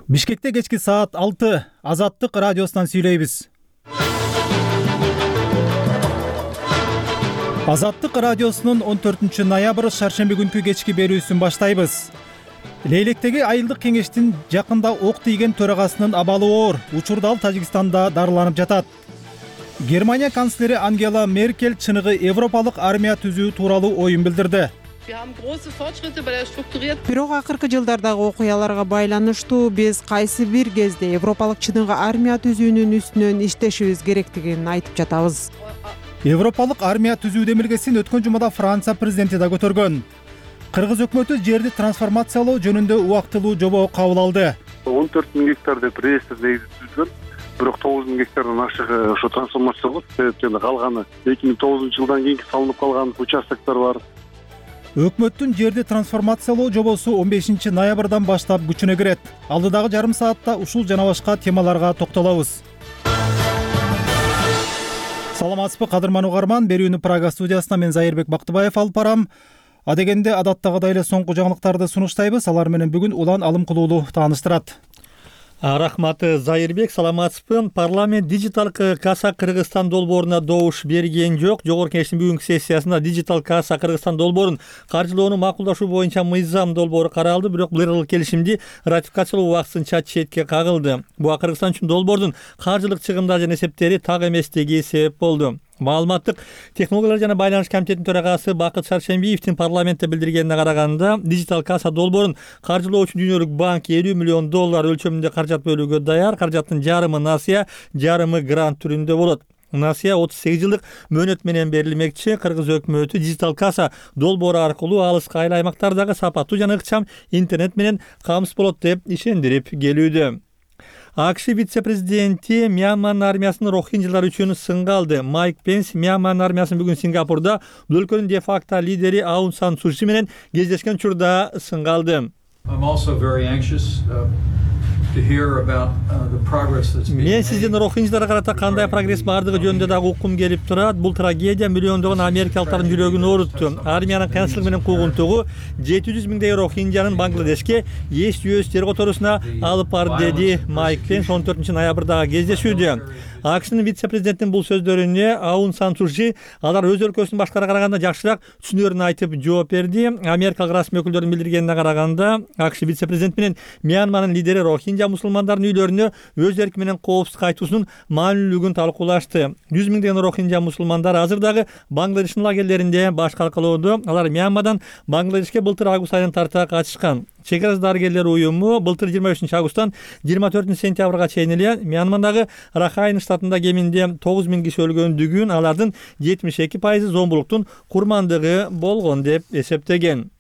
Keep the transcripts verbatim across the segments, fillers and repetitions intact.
Бишкекте кечки саат алты Азаттык радиосунан сүйлөйбүз. Азаттык радиосунун он төртүнчү ноябрь шаршемби күнкү кечки берүүсүн баштайбыз. Лейлектеги айылдык кеңештин жакында ок тийген төрагасынын абалы оор. Учурда ал Тажикстанда дарыланып жатат. Германия канцлери Ангела Меркель чыныгы европалык армия түзүү тууралуу оюн билдирди. Бирок акыркы жылдардагы окуяларга байланыштуу биз кайсы бир кезде европалык чыныгы армия түзүүнүн үстүнөн иштешибиз керектигин айтып жатабыз. Европалык армия түзүү демилгесин өткөн жумада Франция президенти да көтөргөн. Кыргыз өкмөтү жерди трансформациялоо жөнүндө убактылуу жобо кабыл алды. он төрт миң гектар деп реестр негизи түзүлгөн. Бирок тогуз миң гектардан ашыгы ошо трансформация болот. Себептен калганы эки миң тогузунчу жылдан кийинки салынып калган участоктор бар. Өкмөттүн жерди трансформациялоо жобосу он бешинчи ноябрдан баштап күчүнө кирет. Алдыдагы жарым саатта ушул жана башка темаларга токтолобуз. Саламатсызбы кадырман угарман, берүүнү Прага студиясынан мен Зайырбек Бактыбаев алып барам. Адегенде адаттагыдай эле соңку жаңылыктарды сунуштайбыз. Алар менен бүгүн Улан Алымкулуулу тааныштырат. Рахмат Зайырбек, саламатсызбы. Парламент дижитал касса Кыргызстан долбооруна добуш берген жок. Жогорку кеңештин бүгүнкү сессиясында дижитал касса Кыргызстан долбоорун каржылоону макулдашуу боюнча мыйзам долбоору каралды, бирок бул ыргылык келишимди ратификациялоо убактысынча четке кагылды. Буга Кыргызстан үчүн долбоордун каржылык чыгымдары жана эсептери так эместиги себеп болду. Маалыматтык технологиялар жана байланыш комитетинин төрагасы Бакыт Шаршембиевдин парламентте билдиргенине караганда, дижитал касса долбоорун каржылоо үчүн Дүйнөлүк банк элүү миллион доллар өлчөмүндө каражат бөлүүгө даяр. Каражаттын жарымы насыя, жарымы грант түрүндө болот. Насыя отуз сегиз жылдык мөөнөт менен берилмекчи. Кыргыз өкмөтү дижитал касса долбоору аркылуу алыскы айыл аймактардагы сапаттуу жана ыкчам интернет менен камсыз болот деп ишендирип келүүдө. АКШ вице-президенти Мьянманын армиясынын рохинджалар үчүн сынга алды. Майк Пенс Мьянманын армиясын бүгүн Сингапурда бул өлкөнүн де-факто лидери Аун Сан Су Чи менен кездешкен учурда сынга алды. Мен сиздин рохинджаларга карата кандай прогресс бардыгы жөнүндө дагы уккум келип турат. Бул трагедия миллиондогон америкалыктардын жүрөгүн оорутту. Армиянын кыйынчылык менен куугунтугу жети жүз миңдей рохинджанын Бангладешке эч жүйөс жер которусуна алып барды, деди Майк Пенс он төртүнчү ноябрдагы кездешүүдө. АКШнын вице-президентинин бул сөздөрүнө Аун Сан Су Чи алар өз өлкөсүнүн башкаларга караганда жакшыраак түшүнөрүн айтып жооп берди. Америкалык расмий өкүлдөрдүн билдиргенине караганда, АКШ вице-президенти менен Мьянманын лидери рохинджа мусулмандардын үйлөрүнө өз эрки менен коопсуз кайтуусунун маанилүүлүгүн талкуулашты. жүз миңдеген рохинджа мусулмандар азыр дагы Бангладештин лагерлеринде баш калкалоодо. Алар Мьянмадан Бангладешке былтыр август айынан тарта качышкан. Чек арасы дарыгерлер уюму былтыр жыйырма бешинчи августтан жыйырма төртүнчү сентябрга чейин эле Мьянмандагы Рахайн штатында кеминде тогуз миң киши өлгөндүгүн, алардын жетимиш эки пайызы зомбулуктун курмандыгы болгон деп эсептеген.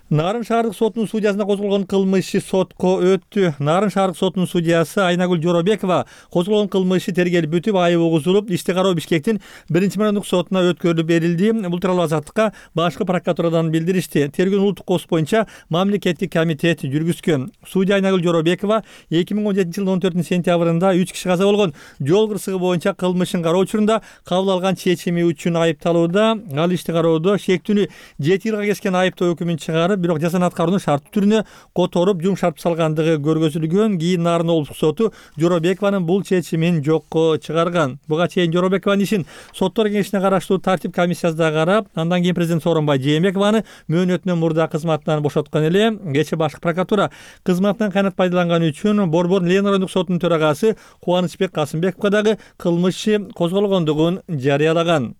Нарын шаардык сотунун судьясына козголгон кылмыш иши сотко өттү. Нарын шаардык сотунун судьясы Айнагүл Жоробекова козголгон кылмыш иши тергелип бүтүп, айып угузулуп, ишти кароо Бишкектин биринчи мамлекеттик сотуна өткөрүлүп берилди. Бул тууралуу Азаттыкка башкы прокуратурадан билдиришти. Тергөөнүн улуттук кооз боюнча мамлекеттик комитет жүргүзгөн. Судья Айнагүл Жоробекова эки миң он жетинчи жылдын он төртүнчү сентябрында үч киши каза болгон жол кырсыгы боюнча кылмышын кароо учурунда кабыл алган чечими үчүн айыпталууда. Ал ишти кароодо шектүүнү жети жылга кескен айыптоо өкүмүн чыгарып, бирок жазаны аткарууну шарттуу түрүнө которуп, жумшартып салгандыгы көргөзүлгөн. Кийин Нарын облустук соту Жоробекованын бул чечимин жокко чыгарган. Буга чейин Жоробекованын ишин соттор кеңешине караштуу тартип комиссиясы да карап, андан кийин президент Сооронбай Жээнбекованы мөөнөтүнөн мурда кызматынан бошоткон эле. Кечээ башкы прокуратура кызматынан кыянат пайдаланганы үчүн Борбор Ленин райондук сотунун төрагасы Кубанычбек Касымбековго дагы кылмыш иши козголгондугун жарыялаган.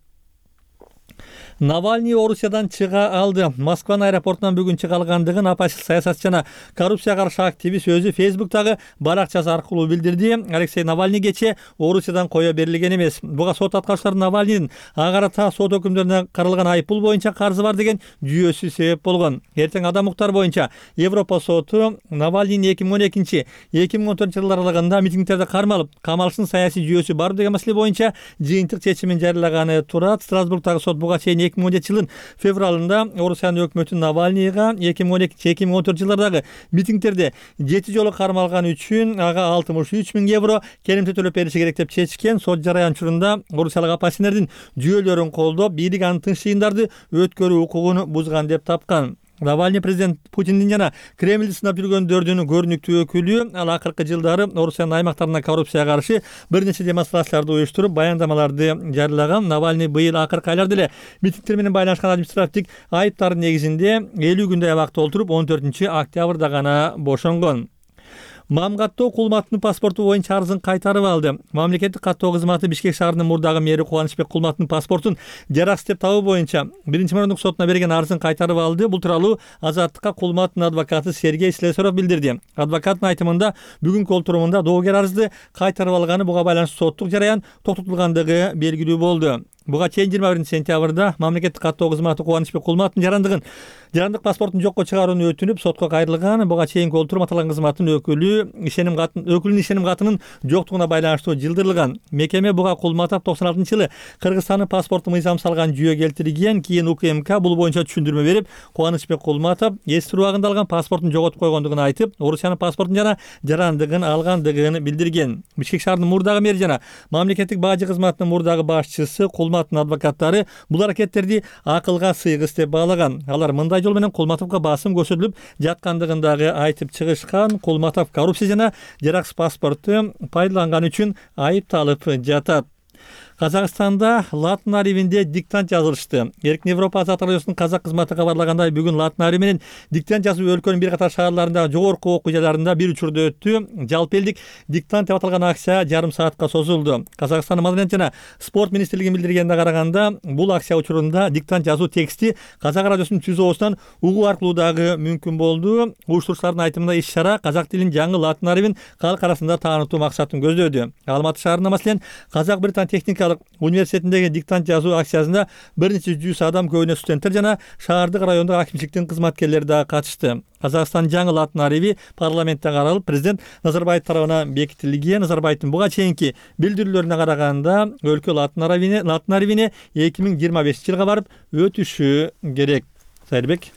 Навальный Орусиядан чыга алды. Москванын аэропортунан бүгүн чыга алгандыгын оппозиция саясатчы жана коррупцияга каршы активист өзү Фейсбуктагы баракчасы аркылуу билдирди. Алексей Навальный кечээ Орусиядан кое берилген эмес. Буга сот аткаручулары Навальныйдын ага карата сот өкүмдөрүнө каралган айыппул боюнча карызы бар деген жүйөсү себеп болгон. Эртең адам укуктары боюнча Европа соту Навальныйдын эки миң он экинчи эки миң он төртүнчү жылдар аралыгында митингдерди кармалып, камалыштын саясий жүйөсү бар деген маселе боюнча жыйынтык чечимин жарыялаганы турат. Страсбургдагы сот буга чейин эки миң он жетинчи жылдын февралында Орусиянын өкмөтү Навальныйга эки миң он экинчи эки миң он төртүнчү жылдардагы митингдерде жети жолу кармалган үчүн ага алтымыш үч миң евро керемте төлөп бериши керек деп чечкен. Сот жарыян учурунда орусиялык оппозиционердин жүйөлөрүн колдоп, бийлик аны тынч жыйындарды өткөрүү укугун бузган деп тапкан. Навальный президент Путиндин жана Кремлди сынап жүргөндөрдүн көрүнүктүү өкүлү. Ал акыркы жылдары Орусиянын аймактарына коррупцияга каршы бир нече демонстрацияларды уюштуруп, баяндамаларды жарыялаган. Навальный быйыл акыркы айларда эле митингдер менен байланышкан административдик айыптардын негизинде элүү күндөй абакта отуруп, он төртүнчү октябрда гана бошонгон. Мам каттоо Кулматтын паспорту боюнча арызын кайтарып алды. Мамлекеттик каттоо кызматы Бишкек шаарынын мурдагы мэри Кубанычбек Кулматтын паспортун жараксыз деп табуу боюнча биринчи мамлекеттик сотуна берген арызын кайтарып алды. Бул тууралуу Азаттыкка Кулматтын адвокаты Сергей Слесарев билдирди. Адвокаттын айтымында бүгүнкү олтурумунда доогер арызды кайтарып алганы, буга байланыштуу соттук жараян токтотулгандыгы белгилүү болду. Буга чейин жыйырма биринчи сентябрда мамлекеттик каттоо кызматы Кубанычбек Кулматтын жарандыгын жарандык паспортун жокко чыгарууну өтүнүп сотко кайрылган. Буга чейинки олтурум аталган кызматтын өкүлү ишеним катын өкүлүнүн ишеним катынын жоктугуна байланыштуу жылдырылган. Мекеме буга Кулматов токсон алтынчы жылы Кыргызстандын паспорту мыйзам салган жүйө келтирген. Кийин УКМК бул боюнча түшүндүрмө берип, Кубанычбек Кулматов эстир убагында алган паспортун жоготуп койгондугун айтып, Орусиянын паспортун жана жарандыгын алгандыгын билдирген. Бишкек шаарынын мурдагы мэри жана мамлекеттик бажы кызматынын мурдагы башчысы Кулматтын адвокаттары бул аракеттерди акылга сыйгыс деп баалаган. Алар мындай жол менен Кулматовго басым көрсөтүлүп жаткандыгын дагы айтып чыгышкан. Кулматов коррупция жана жараксыз паспорту пайдаланган үчүн айыпталып жатат. Казакстанда латын арифинде диктант жазылышты. Эркин Европа Азат радиосунун казак кызматы кабарлагандай, бүгүн латын арифи менен диктант жазуу өлкөнүн бир катар шаарларында жогорку окуу жайларында бир учурда өттү. Жалпы элдик диктант деп аталган акция жарым саатка созулду. Казакстандын Маданият жана спорт министрлигинин билдиргенине караганда, бул акция учурунда диктант жазуу тексти казак радиосунун түз оосунан угуу аркылуу дагы мүмкүн болду. Уюштуруучулардын айтымында иш-чара казак тилин жаңы латын арифин калк арасында таанытуу максатын көздөдү. Алматы шаарында маселен Казак Британ техникалык университетиндеги диктант жазуу акциясында бир нече жүз адам, көбүнө студенттер жана шаардык райондук акимчиликтин кызматкерлери да катышты. Казакстан жаңы латын арифи парламентте каралып, президент Назарбаев тарабынан бекитилген. Назарбаевдин буга чейинки билдирүүлөрүнө караганда, өлкө латын арифине латын арифине эки миң жыйырма бешинчи жылга барып өтүшү керек. Сайырбек.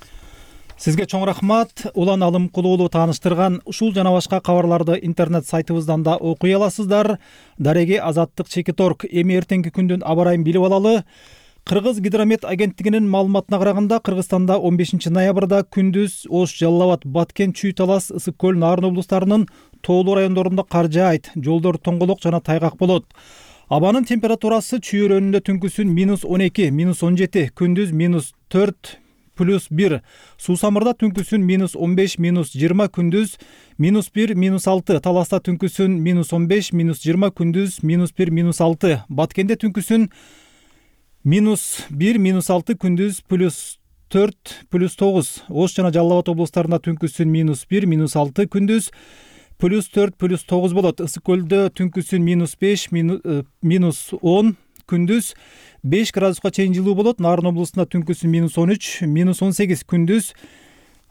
Сизге чоң рахмат. Улан Алымкулуу уулу тааныштырган ушул жана башка кабарларды интернет сайтыбыздан да окуй аласыздар. Дареги Азаттык Чекиторг. Эми эртеңки күндүн аба ырайын билип алалы. Кыргыз гидромет агенттигинин маалыматына караганда, Кыргызстанда он бешинчи ноябрда күндүз Ош, Жалал Абад, Баткен, Чүй Талас, Ысык көл, Нарын облустарынын тоолуу райондорунда кар жаайт, жолдор тоңголок жана тайгак болот. Абанын температурасы Чүй өрөөнүндө түнкүсүн минус он эки, минус он жети, күндүз минус төрт, плюс бир. Суусамырда түнкүсүн минус он беш, минус жыйырма, күндүз минус бир, минус алты. Таласта түнкүсүн минус он беш, минус жыйырма, күндүз минус бир, минус алты. Баткенде түнкүсүн минус бир, минус алты, күндүз плюс төрт, плюс тогуз. Ош жана Жалал Абад облустарында түнкүсүн минус бир, минус алты, күндүз плюс төрт, плюс тогуз болот. Ысык көлдө түнкүсүн минус беш, минус он, күндүз беш градуска чейин жылуу болот. Нарын облусунда түнкүсүн минус он үч, минус он сегиз, күндүз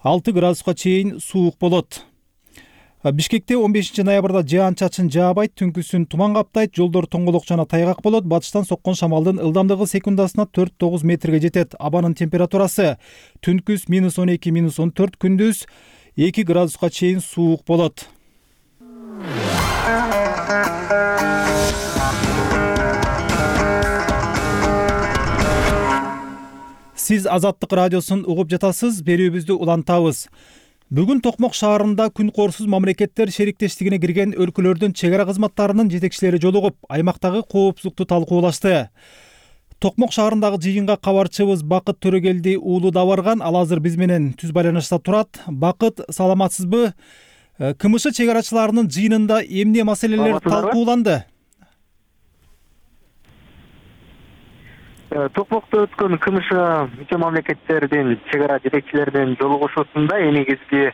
алты градуска чейин суук болот. Бишкекте он бешинчи ноябрда жаан чачын жаабайт, түнкүсүн туман каптайт, жолдор тоңголок жана тайгак болот. Батыштан соккон шамалдын ылдамдыгы секундасына төрт тогуз метрге жетет. Абанын температурасы түнкүс минус он эки, минус он төрт, күндүз эки градуска чейин суук болот. Сиз Азаттык радиосун угуп жатасыз, берүүбүздү улантабыз. Бүгүн Токмок шаарында күн коорсуз мамлекеттер шериктештигине кирген өлкөлөрдүн чек ара кызматтарынын жетекчилери жолугуп, аймактагы коопсуздукту талкуулашты. Токмок шаарындагы жыйынга кабарчыбыз Бакыт Төрөгелди уулу да барган. Ал азыр биз менен түз байланышта турат. Бакыт, саламатсызбы? КМШ чек арачыларынын жыйынында эмне маселелер талкууланды? Токмокто өткөн КМШ мүчө мамлекеттердин чек ара жетекчилеринин жолугушуусунда эң негизги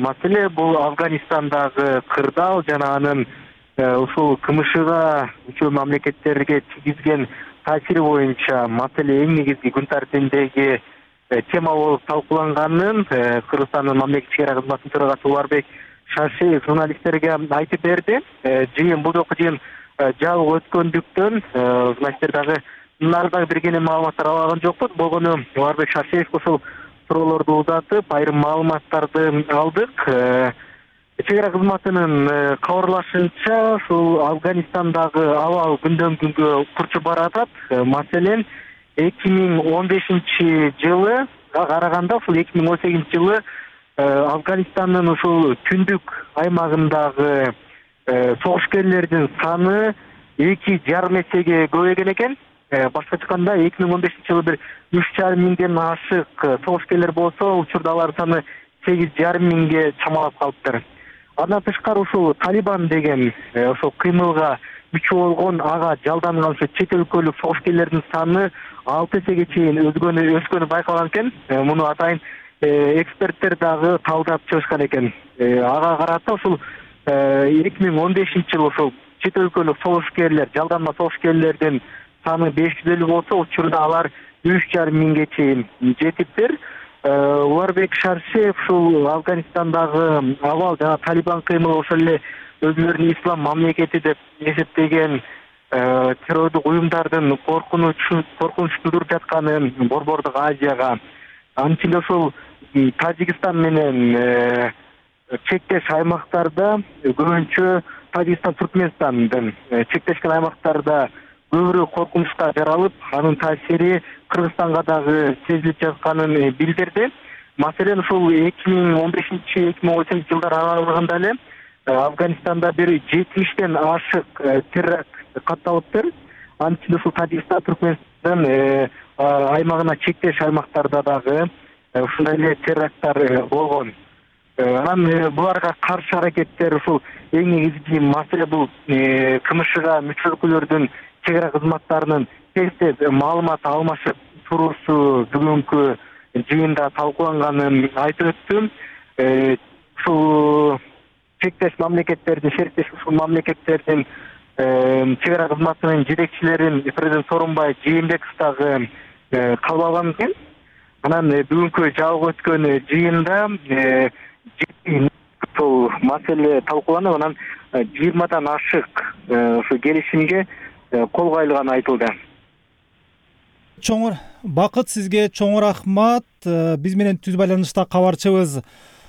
маселе бул Афганистандагы кырдаал жана анын ушул КМШга мүчө мамлекеттерге тийгизген таасири боюнча маселе эң негизги күн тартибиндеги тема болуп талкууланганын Кыргызстандын мамлекеттик чек ара кызматынын төрагасы Уларбек Шаршеев журналисттерге айтып берди. Жыйын бул жолку жыйын жабык өткөндүктөн журналисттер дагы нардагы бергени маалыматтар алган жокпуз. Болгону Уларбек Шаршеев ушул суроолорду узатып, айрым маалыматтарды алдык. Чек ара кызматынын кабарлашынча, ушул Афганистандагы абал күндөн күнгө курчуп баратат. Маселен, эки миң он бешинчи жылы караганда ушул эки миң он сегизинчи жылы Афганистандын ушул түндүк аймагындагы согушкерлердин саны эки жарым эсеге көбөйгөн экен. Башкача айтканда эки миң он бешинчи жылы бир үч жарым миңден ашык согушкерлер болсо, учурда алар саны сегиз жарым миңге чамалап калыптыр. Андан тышкары ушул Талибан деген ошол кыймылга күчү болгон ага жалданган ошо чет өлкөлүк согушкерлердин саны алты эсеге чейин өзгөнү өскөнү байкалган экен. Муну атайын эксперттер дагы талдап чыгышкан экен. Ага карата ушул эки миң он бешинчи жылы ошол чет өлкөлүк согушкерлер, жалданма согушкерлердин саны беш жүз элүү болсо, учурда алар үч жарым миңге чейин жетиптир. Уларбек Шаршеев ушул Афганистандагы абал жана Талибан кыймылы ошол эле өзүлөрүнүн ислам мамлекети деп эсептеген террордук уюмдардын коркунуч коркунуч тудуруп жатканын Борбордук Азияга, анын ичинде ошол Тажикстан менен чектеш аймактарда, көбүнчө Тажикстан Түркмөнстандын чектешкен аймактарда көбүрөөк коркунучка жаралып, анын таасири Кыргызстанга дагы сезилип жатканын билдирди. Маселен, ушул эки миң он бешинчи эки миң он сегизинчи жылдар аралыгында эле Афганистанда бир жетимиштен ашык теракт катталыптыр. Анын ичинде ушул Тажикстан, Түркмөнстандын аймагына чектеш аймактарда дагы ушундай эле теракттар болгон. Анан буларга каршы аракеттер ушул эң негизги маселе бул КМШга мүчө өлкөлөрдүн чек ара кызматтарынын тез-тез маалымат алмашып туруусу бүгүнкү жыйында талкууланганын айтып өттүм. Ушул чектеш мамлекеттердин, шериктеш ушул мамлекеттердин чек ара кызматынын жетекчилерин президент Сооронбай Жээнбеков дагы кабыл алган экен. Анан бүгүнкү жабык өткөн жыйында ушул маселе талкууланып, анан жыйырмадан ашык ушу келишимге кол коюлганы айтылды. Чоңур Бакыт, сизге чоң рахмат. Биз менен түз байланышта кабарчыбыз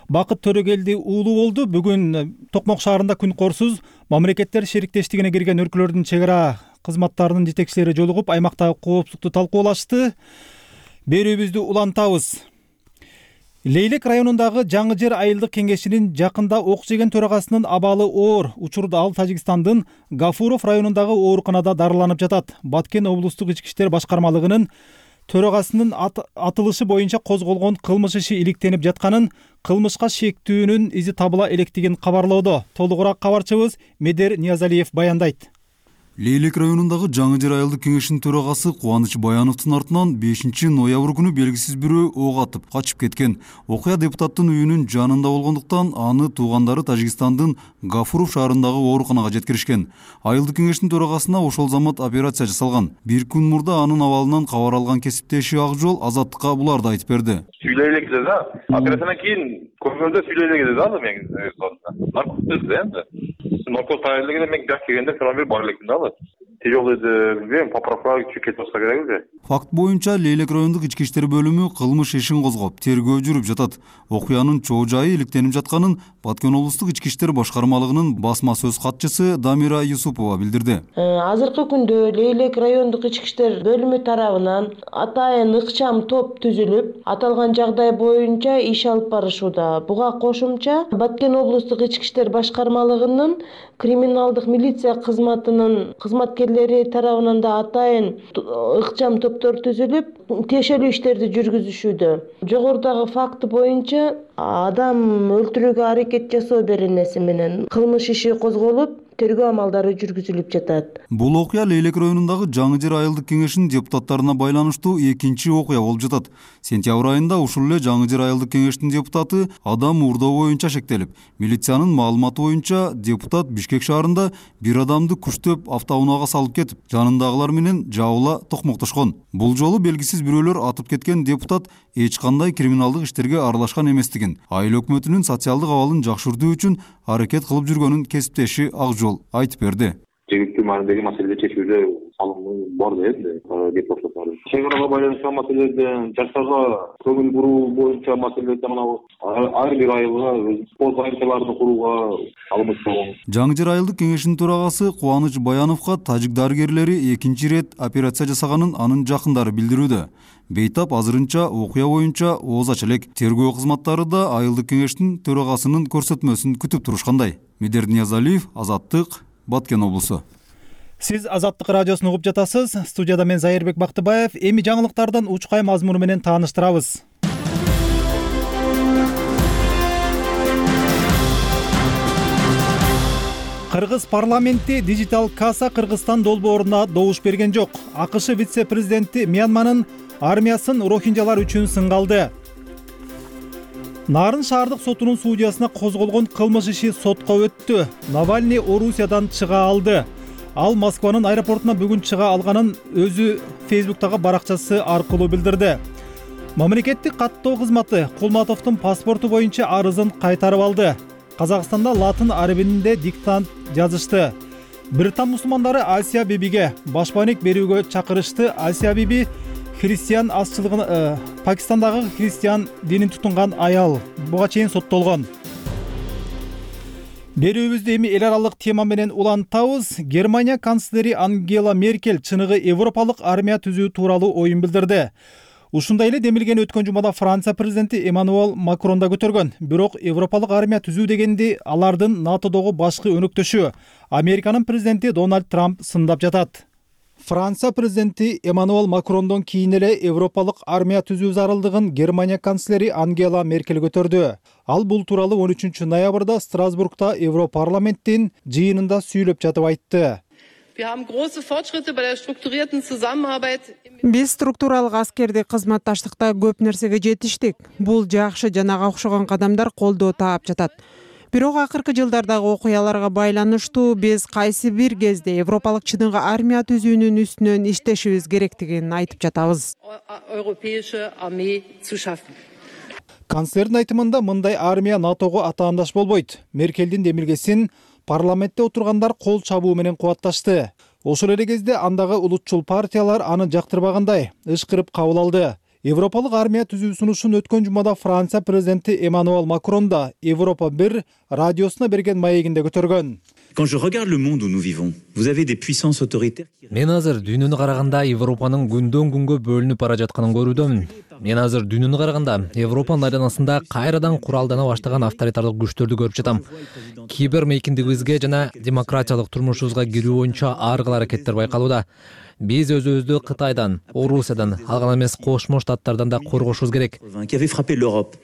Бакыт Төрөгелди уулу болду. Бүгүн Токмок шаарында күн корсуз мамлекеттер шериктештигине кирген өлкөлөрдүн чек ара кызматтарынын жетекчилери жолугуп, аймактагы коопсуздукту талкуулашты. Берүүбүздү улантабыз. Лейлек районундагы Жаңы Жер айылдык кеңешинин жакында ок жеген төрагасынын абалы оор. Учурда ал Тажикстандын Гафуров районундагы ооруканада дарыланып жатат. Баткен облустук ички иштер башкармалыгынын төрагасынын ат атылышы боюнча козголгон кылмыш иши иликтенип жатканын, кылмышка шектүүнүн изи табыла электигин кабарлоодо. Толугураак кабарчыбыз Медер Ниязалиев баяндайт. Лейлек районундагы Жаңы Жер айылдык кеңешинин төрагасы Кубаныч Баяновдун артынан бешинчи ноябрь күнү белгисиз бирөө ок атып качып кеткен. Окуя депутаттын үйүнүн жанында болгондуктан аны туугандары Тажикстандын Гафуров шаарындагы ооруканага жеткиришкен. Айылдык кеңештин төрагасына ошол замат операция жасалган. Бир күн мурда анын абалынан кабар алган кесиптеши Акжол Азаттыкка буларды айтып берди. Сүйлөйлек деди да. Операциядан кийин көргөндө сүйлөйлек деди да мен. Наркотик деди энди. Наркотик тайылыгы мен гак келгенде сразу бир бар электим да. Тяжелый билбейм, поправка кетип болсо керек эле. Факт боюнча Лейлек райондук ички иштер бөлүмү кылмыш ишин козгоп, тергөө жүрүп жатат. Окуянын чоо жайы иликтенип жатканын Баткен облустук ички иштер башкармалыгынын басма сөз катчысы Дамира Юсупова билдирди. Азыркы күндө Лейлек райондук ички иштер бөлүмү тарабынан атайын ыкчам топ түзүлүп, аталган жагдай боюнча иш алып барышууда. Буга кошумча Баткен облустук ички иштер башкармалыгынын криминалдык милиция кызматынын кызматкерлери тарабынан да атайын ыкчам топтор түзүлүп, тиешелүү иштерди жүргүзүшүүдө. Жогорудагы факты боюнча адам өлтүрүүгө аракет жасоо беренеси менен кылмыш иши козголуп, тергөө амалдары жүргүзүлүп жатат. Бул окуя Лейлек районундагы Жаңы Жер айылдык кеңешинин депутаттарына байланыштуу экинчи окуя болуп жатат. Сентябрь айында ушул эле Жаңы Жер айылдык кеңештин депутаты адам уурдоо боюнча шектелип, милициянын маалыматы боюнча депутат Бишкек шаарында бир адамды күчтөп автоунаага салып кетип, жанындагылар менен жабыла токмоктошкон. Бул жолу белгисиз бирөөлөр атып кеткен депутат эч кандай криминалдык иштерге аралашкан эместигин, айыл өкмөтүнүн социалдык абалын жакшыртуу үчүн аракет кылып жүргөнүн кесиптеши Акжол айтып берди. жергиликтүү маанидеги маселеде чечүүгө салымы бар да энди депутаттар. Чек арага байланышкан маселелерден, жаштарга көңүл буруу боюнча маселелерде мына ар бир айылга спорт зайымчаларын курууга алымыбыз болгон. Жаңы жер айылдык кеңешинин төрагасы Кубаныч Баяновго тажик дарыгерлери экинчи ирет операция жасаганын анын жакындары билдирүүдө. Бейтап азырынча окуя боюнча ооз ача элек. Тергөө кызматтары да айылдык кеңештин төрагасынын көрсөтмөсүн күтүп турушкандай. Медер Ниязалиев, Азаттык, Баткен облусу. Сиз Азаттык радиосун угуп жатасыз. Студияда мен Зайырбек Бактыбаев. Эми жаңылыктардан учкай мазмуну менен тааныштырабыз. Кыргыз парламенти дижитал касса Кыргызстан долбооруна добуш берген жок. АКШ вице-президенти Мьянманын армиясын рохинжалар үчүн сынга алды. Нарын шаардык сотунун судьясына козголгон кылмыш иши сотко өттү. Навальный Орусиядан чыга алды. Ал Москванын аэропортуна бүгүн чыга алганын өзү Фейсбуктагы баракчасы аркылуу билдирди. Мамлекеттик каттоо кызматы Кулматовдун паспорту боюнча арызын кайтарып алды. Казакстанда латын арабинде диктант жазышты. Британ мусулмандары Асия Бибиге башпаанек берүүгө чакырышты. Асия Биби христиан азчылыгын э, Пакистандагы христиан динин тутунган аял. Буга чейин соттолгон. Берүүбүздү эми эл аралык тема менен улантабыз. Германия канцлери Ангела Меркель чыныгы европалык армия түзүү тууралуу оюн билдирди. Ушундай эле демилген өткөн жумада Франция президенти Эммануэл Макрон да көтөргөн. Бирок европалык армия түзүү дегенди алардын НАТОдогу башкы өнөктөшү Американын президенти Дональд Трамп сындап жатат. Франция президенти Эммануэл Макрондон кийин эле европалык армия түзүү зарылдыгын Германия канцлери Ангела Меркель көтөрдү. Ал бул тууралуу он үчүнчү ноябрда Страсбургда Европарламенттин жыйынында сүйлөп жатып айтты. Биз структуралык аскердик кызматташтыкта көп нерсеге жетиштик. Бул жакшы жана ага окшогон кадамдар колдоо таап жатат. Бирок акыркы жылдардагы окуяларга байланыштуу биз кайсы бир кезде европалык чыныгы армия түзүүнүн үстүнөн иштешибиз керектигин айтып жатабыз. Канцлердин айтымында мындай армия НАТОго атаандаш болбойт. Меркелдин демилгесин парламентте отургандар кол чабуу менен кубатташты. Ошол эле кезде андагы улутчул партиялар аны жактырбагандай ышкырып кабыл алды. Европалык армия түзүү сунушун өткөн жумада Франция президенти Эммануэл Макрон да Европа бир радиосуна берген маегинде көтөргөн. Quand je regarde le monde où nous vivons, vous avez des puissances autoritaires. Мен азыр дүйнөнү караганда Европанын күндөн күнгө бөлүнүп бара жатканын көрүүдөмүн. Мен азыр дүйнөнү караганда Европанын айланасында кайрадан куралдана баштаган авторитардык күчтөрдү көрүп жатам. Кибер мейкиндигибизге жана демократиялык турмушубузга кирүү боюнча ар кыл аракеттер байкалууда. Биз өзүбүздү Кытайдан, Орусиядан, ал гана эмес Кошмо Штаттардан да коргошубуз керек. Qui avait frappé l'Europe.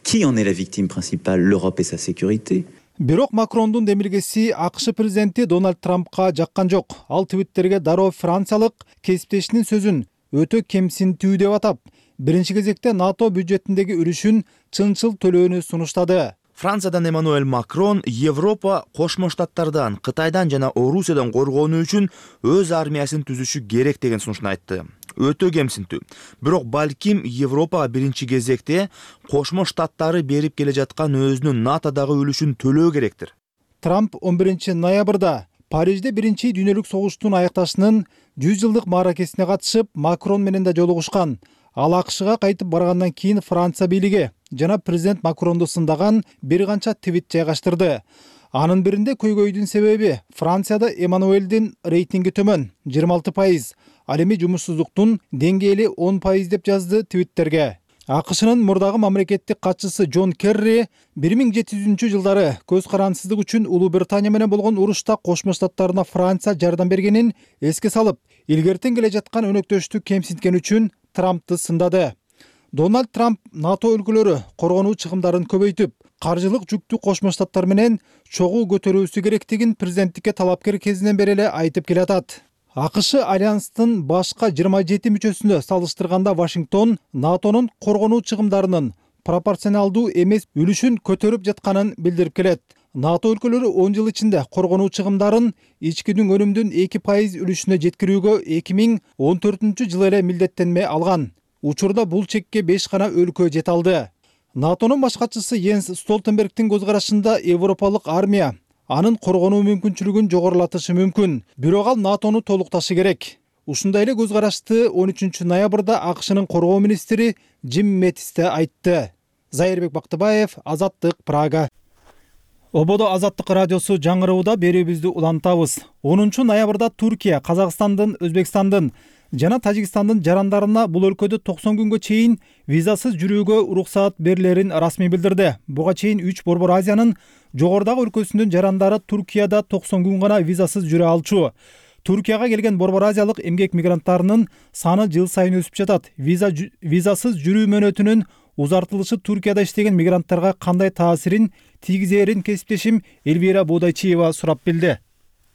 Qui en est la victime principale? L'Europe et sa sécurité. Бирок Макрондун демилгеси АКШ президенти Дональд Трампка жаккан жок. Ал Твиттерге дароо франциялык кесиптешинин сөзүн өтө кемсинтүү деп атап, биринчи кезекте НАТО бюджетиндеги үлүшүн чынчыл төлөөнү сунуштады. Франциядан Эммануэль Макрон Европа Кошмо Штаттардан, Кытайдан жана Орусиядан коргонуу үчүн өз армиясын түзүшү керек деген сунушун айтты. Өтө кемсинтүү. Бирок балким Европа биринчи кезекте Кошмо Штаттары берип келе жаткан өзүнүн НАТОдагы үлүшүн төлөө керектир. Трамп он биринчи ноябрда Парижде биринчи дүйнөлүк согуштун аякташынын жүз жылдык мааракесине катышып, Макрон менен да жолугушкан. Ал АКШга кайтып баргандан кийин Франция бийлиги жана президент Макронду сындаган бир канча твит жайгаштырды. Анын биринде көйгөйдүн себеби Францияда Эммануэлдин рейтинги төмөн жыйырма алты пайыз, ал эми жумушсуздуктун деңгээли он пайыз деп жазды твиттерге. АКШнын мурдагы мамлекеттик катчысы Джон Керри бир миң жети жүзүнчү жылдары көз карансыздык үчүн Улуу Британия менен болгон урушта Кошмо Штаттарына Франция жардам бергенин эске салып, илгертен келе жаткан өнөктөштү кемсинткен үчүн Трампты сындады. Дональд Трамп НАТО өлкөлөрү коргонуу чыгымдарын көбөйтүп, каржылык жүктү Кошмо Штаттар менен чогуу көтөрүүсү керектигин президенттикке талапкер кезинен бери эле айтып келатат. АКШ альянстын башка жыйырма жети мүчөсүнө салыштырганда Вашингтон НАТОнун коргонуу чыгымдарынын пропорционалдуу эмес үлүшүн көтөрүп жатканын билдирип келет. НАТО өлкөлөрү он жыл ичинде коргонуу чыгымдарын ички өнүмдүн эки пайыз үлүшүнө жеткирүүгө эки миң он төртүнчү жылы эле милдеттенме алган. Учурда бул чекке беш гана өлкө жете алды. НАТОнун баш катчысы Йенс Столтенбергдин көз карашында европалык армия анын коргонуу мүмкүнчүлүгүн жогорулатышы мүмкүн. Бирок ал натону толукташы керек. Ушундай эле көз карашты он үчүнчү ноябрда АКШнын коргоо министри Джим Мэттис да айтты. Зайырбек Бактыбаев, Азаттык, Прага. Ободо Азаттык радиосу жаңырууда берүүбүздү улантабыз. онунчу ноябрда Туркия Казакстандын, Өзбекстандын жана Тажикстандын жарандарына бул өлкөдө токсон күнгө чейин визасыз жүрүүгө уруксаат берилерин расмий билдирди. Буга чейин үч Борбор Азиянын жогорудагы өлкөсүнүн жарандары Туркияда токсон күн гана визасыз жүрө алчу. Туркияга келген Борбор Азиялык эмгек мигранттарынын саны жыл сайын өсүп жатат. Виза визасыз жүрүү мөөнөтүнүн узартылышы Туркияда иштеген мигранттарга кандай таасирин тийгизерин кесиптешим Элвира Бодайчиева сурап билди.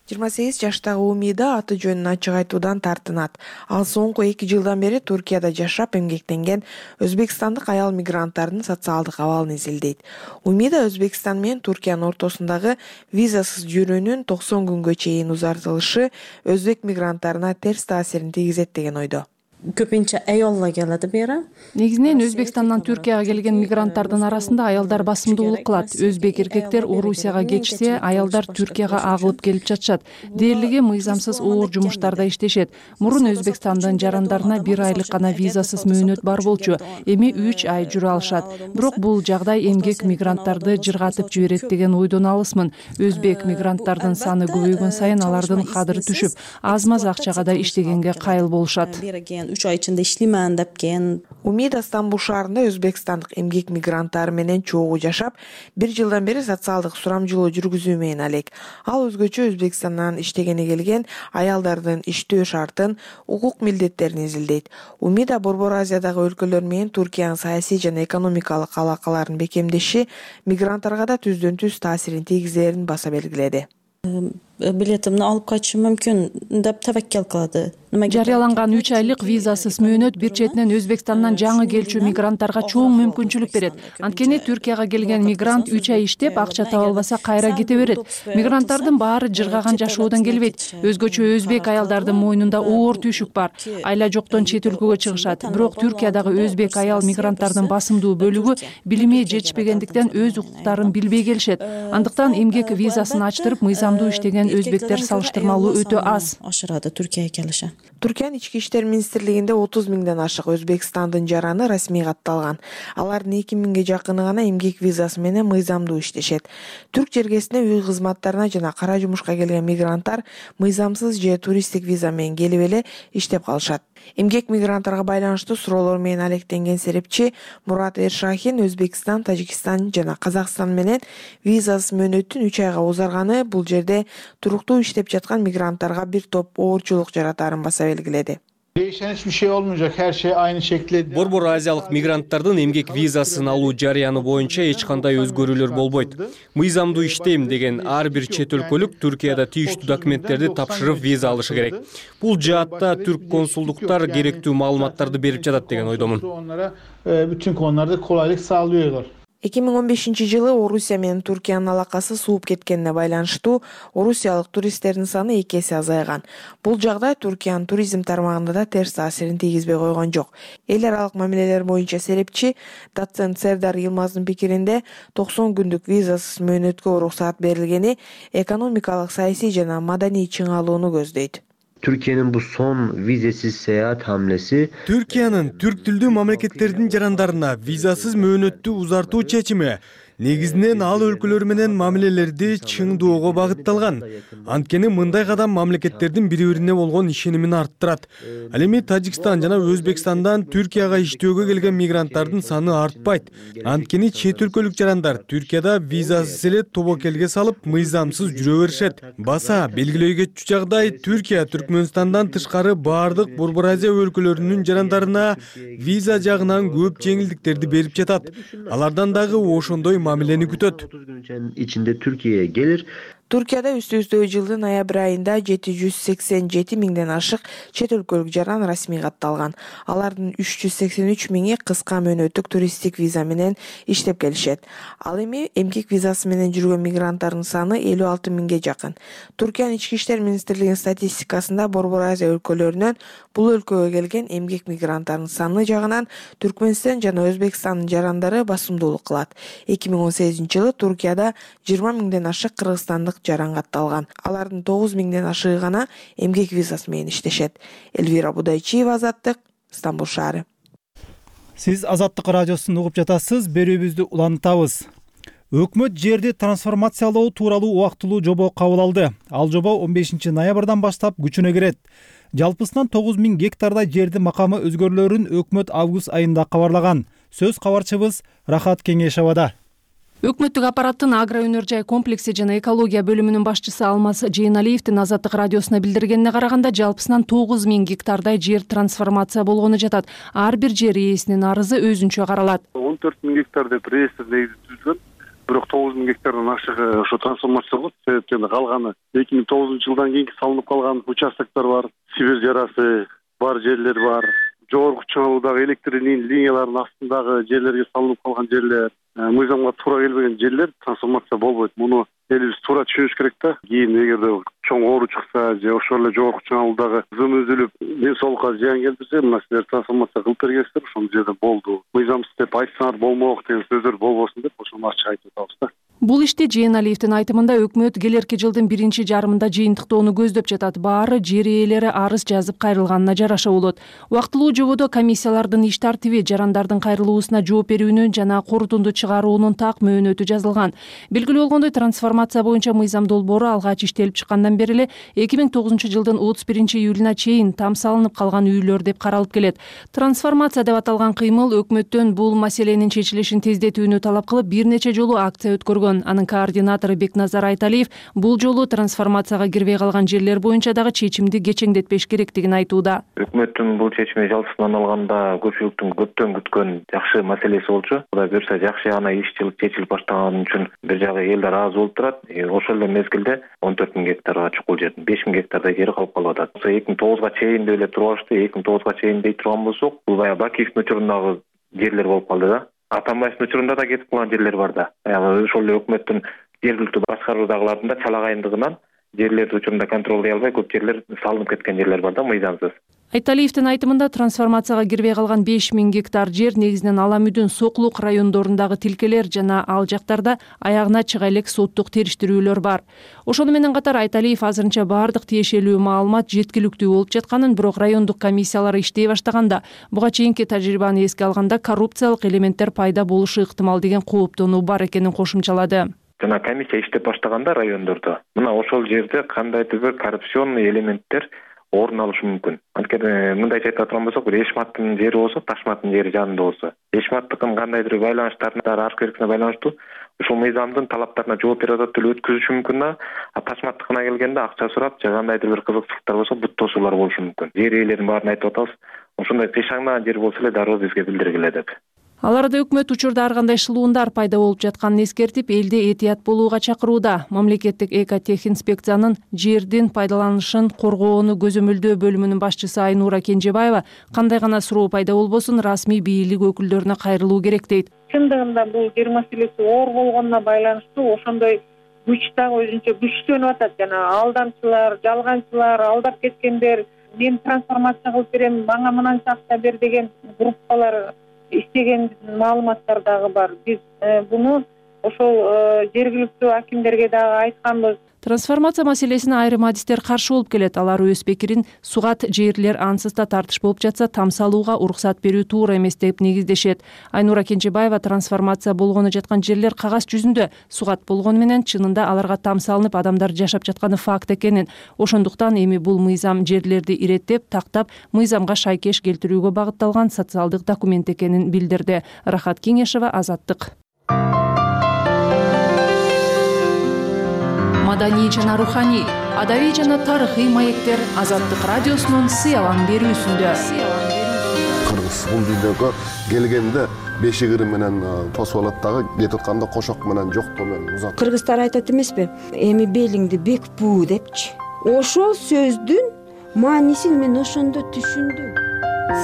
жыйырма сегиз жаштагы Умида аты жөнүн ачык айтуудан тартынат. Ал соңку эки жылдан бери Туркияда жашап эмгектенген өзбекстандык аял мигранттардын социалдык абалын изилдейт. Умида Өзбекстан менен Туркиянын ортосундагы визасыз жүрүүнүн токсон күнгө чейин узартылышы өзбек мигранттарына терс таасирин тийгизет деген ойдо. Көпүнчө аялдар келет бери. Негизинен Өзбекстандан Түркияга келген мигранттардын арасында аялдар басымдуулук кылат. Өзбек эркектер Орусияга кетишсе, аялдар Түркияга агылып келип жатышат. Дээрлиги мыйзамсыз оор жумуштарда иштешет. Мурун Өзбекстандын жарандарына бир айлык гана визасыз мөөнөт бар болчу. Эми үч ай жүрө алышат. Бирок бул жагдай эмгек мигранттарды жыргатып жиберет деген ойдон алысмын. Өзбек мигранттардын саны көбөйгөн сайын алардын кадыры түшүп, аз-маз акчага да иштегенге кайыл болушат. үч ай ичинде иштеймэн деп кен. Умида Стамбул шаарында өзбекстандык эмгек мигранттары менен чогуу жашап, бир жылдан бери социалдык сурамжылоо жүргүзүү менен алек. Ал өзгөчө Өзбекстандан иштегени келген аялдардын иштөө шартын, укук милдеттерин изилдейт. Умида Борбор Азиядагы өлкөлөр менен Туркиянын саясий жана экономикалык алакаларын бекемдеши мигранттарга да түздөн түз таасирин тийгизерин баса белгиледи. Билетимни алып кайтышым мүмкүн деп табаккел кылды. Жарыяланган үч айлык визасыз мөөнөт бир четинен Өзбекстандан жаңы келчү мигранттарга чоң мүмкүнчүлүк берет. Анткени Түркияга келген мигрант үч ай иштеп, акча таба албаса кайра кете берет. Мигранттардын баары жыргаган жашоодон келбейт. Өзгөчө өзбек аялдардын мойнунда оор түйшүк бар. Айла жоктон чет өлкөгө чыгышат. Бирок Түркиядагы өзбек аял мигранттардын басымдуу бөлүгү билими жетишпегендиктен өз укуктарын билбей келишет. Андыктан эмгек визасын ачтырып мыйзамдуу иштеген өзбектер салыштырмалуу өтө аз. Ашырады Түркияга келиши. Түркиянын ички иштер министрлигинде отуз миңден ашык Өзбекстандын жараны расмий катталган. Алардын эки миңге жакыны гана эмгек визасы менен мыйзамдуу иштешет. Түрк жергесине үй кызматтарына жана кара жумушка келген мигранттар мыйзамсыз же туристтик виза менен келип эле иштеп калышат. Эмгек мигранттарга байланыштуу суроолор менен алектенген серепчи Мурат Эршахин Өзбекстан, Тажикстан жана Казакстан менен визасыз мөөнөттүн үч айга узарганы бул жерде туруктуу иштеп жаткан мигранттарга бир топ оорчулук жаратарын баса белгиледи. Değişen hiçbir şey olmayacak. Her şey aynı şekilde. Борбор Азиялык мигранттардын эмгек визасын алуу жарыяны боюнча эч кандай өзгөрүүлөр болбойт. Мыйзамдуу иштейм деген ар бир чет өлкөлүк Түркияда тийиштүү документтерди тапшырып виза алышы керек. Бул жаатта түрк консулдуктар керектүү маалыматтарды берип жатат деген ойдомун. Onlara bütün konularda kolaylık sağlıyorlar. эки миң он бешинчи жылы Орусия менен Туркиянын алакасы сууп кеткенине байланыштуу орусиялык туристтердин саны эки эсе азайган. Бул жагдай Туркиянын туризм тармагында да терс таасирин тийгизбей койгон жок. Эл аралык мамилелер боюнча серепчи доцент Сердар Йылмаздын пикиринде токсон күндүк визасыз мөөнөткө уруксаат берилгени экономикалык, саясий жана маданий чыңалууну көздөйт. Türkiye'nin bu son vizesiz seyahat hamlesi Türkiye'nin Türk tilдүү мамлекеттердин жарандарына визасыз мөөнөттү узартуу чечими негизинен ал өлкөлөр менен мамилелерди чыңдоого багытталган. Анткени мындай кадам мамлекеттердин бири-бирине болгон ишенимин арттырат. Ал эми Тажикстан жана Өзбекстандан Түркияга иштөөгө келген мигранттардын саны артпайт. Анткени чет өлкөлүк жарандар Түркияда визасыз эле тобокелге салып мыйзамсыз жүрө беришет. Баса белгилөө кетчү жагдай Түркия Түркмөнстандан тышкары баардык Борбор Азия өлкөлөрүнүн жарандарына виза жагынан көп жеңилдиктерди берип жатат. Алардан дагы ошондой мамилени күтөт. otuz gün içinde Türkiye'ye gelir. Туркияда үстү-үстө жылдын ноябрь айында жети жүз сексен жети миңден ашык чет өлкөлүк жаран расмий катталган. Алардын үч жүз сексен үч миңи кыска мөөнөттүк туристтик виза менен иштеп келишет. Ал эми эмгек визасы менен жүргөн мигранттардын саны элүү алты миңге жакын. Туркиянын ички иштер министрлигинин статистикасында Борбор Азия өлкөлөрүнөн бул өлкөгө келген эмгек мигранттардын саны жагынан Түркмөнстан жана Өзбекстандын жарандары басымдуулук кылат. эки миң он сегизинчи жылы Туркияда жыйырма миңден ашык кыргызстандык жумушчулдук жаран катталган. Алардын тогуз миңден ашыгы гана эмгек визасы менен иштешет. Элвира Будайчиева, Азаттык, Стамбул шаары. Сиз Азаттык радиосун угуп жатасыз. Берүүбүздү улантабыз. Өкмөт жерди трансформациялоо тууралуу убактылуу жобо кабыл алды. Ал жобо он бешинчи ноябрдан баштап күчүнө кирет. Жалпысынан тогуз миң гектардай жерди макамы өзгөрүлөрүн өкмөт август айында кабарлаган. Сөз кабарчыбыз Рахат Кеңешовада. Өкмөттүк аппараттын агро өнөр жай комплекси жана экология бөлүмүнүн башчысы Алмаз Жейналиевдин Азаттык радиосуна билдиргенине караганда, жалпысынан тогуз миң гектардай жер трансформация болгону жатат. Ар бир жер ээсинин арызы өзүнчө каралат. он төрт миң гектар деп реестр негизи түзүлгөн. Бирок тогуз миң гектардан ашыгы ошо трансформация болот. Себептен калганы эки миң тогузунчу жылдан кийинки салынып калган участоктор бар, Сибирь жарасы бар жерлер бар. Жогорку чыңалуудагы электр линияларынын астындагы жерлерге салынып калган жерлер, мыйзамга туура келбеген жерлер трансформация болбойт. Муну элибиз туура түшүнүш керек да. Кийин эгерде чоң оору чыкса же ошол эле жогорку чыңалуудагы зым үзүлүп, ден соолукка зыян келтирсе, мына силер трансформация кылып бергенсиздер, ошол жерде болду. Мыйзамсыз деп айтсаңар болмок деген сөздөр болбосун деп ошону ачык айтып атабыз да. Бул иште Жейналиевдин айтымында өкмөт келерки жылдын биринчи жарымында жыйынтыктоону көздөп жатат. Баары жер ээлери арыз жазып кайрылганына жараша болот. Убактылуу жободо комиссиялардын иш тартиби, жарандардын кайрылуусуна жооп берүүнүн жана корутунду чыгаруунун так мөөнөтү жазылган. Белгилүү болгондой, трансформация боюнча мыйзам долбоору алгач иштелип чыккандан бери эле эки миң тогузунчу жылдын отуз биринчи июлуна чейин там салынып калган үйлөр деп каралып келет. Трансформация деп аталган кыймыл өкмөттөн бул маселенин чечилишин тездетүүнү талап кылып бир нече жолу акция өткөргөн. Анын координатору Бекназар Айталиев бул жолу трансформацияга кирбей калган жерлер боюнча дагы чечимди кечеңдетпеш керектигин айтууда. Өкмөттүн бул чечими жалпысынан алганда көпчүлүктүн көптөн күткөн жакшы маселеси болчу. Кудай буюрса жакшы гана иш чечилип баштаганы үчүн бир жагы эл ыраазы болуп турат. Ошол эле мезгилде он төрт миң гектарга чукул жер, беш миң гектардай жери калып калып атат. эки миң тогузга чейин деп эле туруп алышты. эки миң тогузга чейин дей турган болсок, бул баягы Бакиевдин учурундагы жерлер болуп калды да. Атамбаевдин учурунда да кетип калган жерлер бар да. Баягы ошол эле өкмөттүн жергиликтүү башкаруудагылардын да чалагайындыгынан жерлерди учурунда контролдой албай көп жерлер салынып кеткен жерлер бар да, мыйзамсыз. Айталиевдин айтымында, трансформацияга кирбей калган беш миң гектар жер негизинен Ала Мүдүн, Соклук райондорундагы тилкелер жана ал жактарда аягына чыга элек соттук териштирүүлөр бар. Ошону менен катар Айталиев азырынча баардык тиешелүү маалымат жеткиликтүү болуп жатканын, бирок райондук комиссиялар иштей баштаганда, буга чейинки тажрыйбаны эске алганда коррупциялык элементтер пайда болушу ыктымал деген кооптонуу бар экенин кошумчалады. Жана комиссия иштеп баштаганда райондордо мына ошол жерде кандайдыр бир коррупционный элементтер орун алышы мүмкүн. Анткени мындайча айтып аткан болсок, бир Эшматтын жери болсо, Ташматтын жери жанында болсо, Эшматтыкын кандайдыр байланыштарына аркы эркине байланыштуу ушул мыйзамдын талаптарына жооп берип атат деле өткүзүшү мүмкүн да. А Ташматтыкына келгенде акча сурап, же кандайдыр бир кызыкчылыктар болсо, бут тосуулар болушу мүмкүн. Жер ээлерин баарын айтып атабыз. Ошондой кыйшаңдаган жер болсо эле дароо бизге билдиргиле деп. Ал арада өкмөт учурда ар кандай шылуундар пайда болуп жатканын эскертип, элди этият болууга чакырууда. Мамлекеттик экотехинспекциянын жердин пайдаланышын коргоону көзөмөлдөө бөлүмүнүн башчысы Айнура Кенжебаева кандай гана суроо пайда болбосун расмий бийлик өкүлдөрүнө кайрылуу керек дейт. Чындыгында бул жер маселеси оор болгонуна байланыштуу ошондой күч дагы өзүнчө күчтөнүп атат. Жана алдамчылар, жалганчылар, алдап кеткендер, мен трансформация кылып берем, мага мынанча акча бер деген группалар иштеген маалыматтар дагы бар. Биз буну ошол жергиликтүү акимдерге дагы айтканбыз. Трансформация маселесине айрым адистер каршы болуп келет. Алар өз пикирин сугат жерлер ансыз да тартыш болуп жатса, там салууга уруксат берүү туура эмес деп негиздешет. Айнура Кенжебаева трансформация болгону жаткан жерлер кагаз жүзүндө сугат болгону менен чынында аларга там салынып адамдар жашап жатканы факт экенин, ошондуктан эми бул мыйзам жерлерди иреттеп, тактап, мыйзамга шайкеш келтирүүгө багытталган социалдык документ экенин билдирди. Рахат Кеңешова, Азаттык. Маданий жана руханий, адабий жана тарыхый маектер Азаттык радиосунун сыялан берүүсүндө. Кыргыз бул видеого келгенде бешигири менен тосуп алат дагы, кетип атканда кошок менен жоктоо менен узат. Кыргыздар айтат эмеспи? Эми белиңди бек буу депчи. Ошол сөздүн маанисин мен ошондо түшүндүм.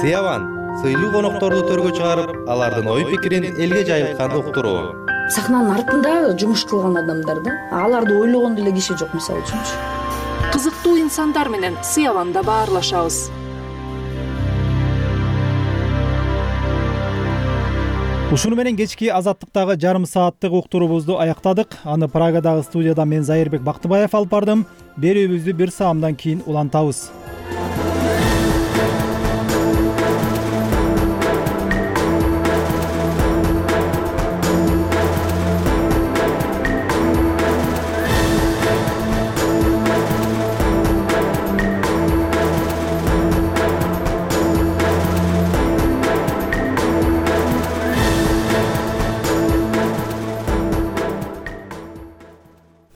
Сыялан сыйлуу конокторду төргө чыгарып, алардын ой пикирин элге жайылтканды уктуруу. Сахнанын артында жумуш кылган адамдар да, аларды ойлогон деле киши жок, мисалы үчүнчү. Кызыктуу инсандар менен сыяланда баарлашабыз. Ушуну менен кечки азаттыктагы жарым сааттык уктуруубузду аяктадык. Аны Прагадагы студияда мен Зайырбек Бактыбаев алып бардым. Берүүбүздү бир саамдан кийин улантабыз.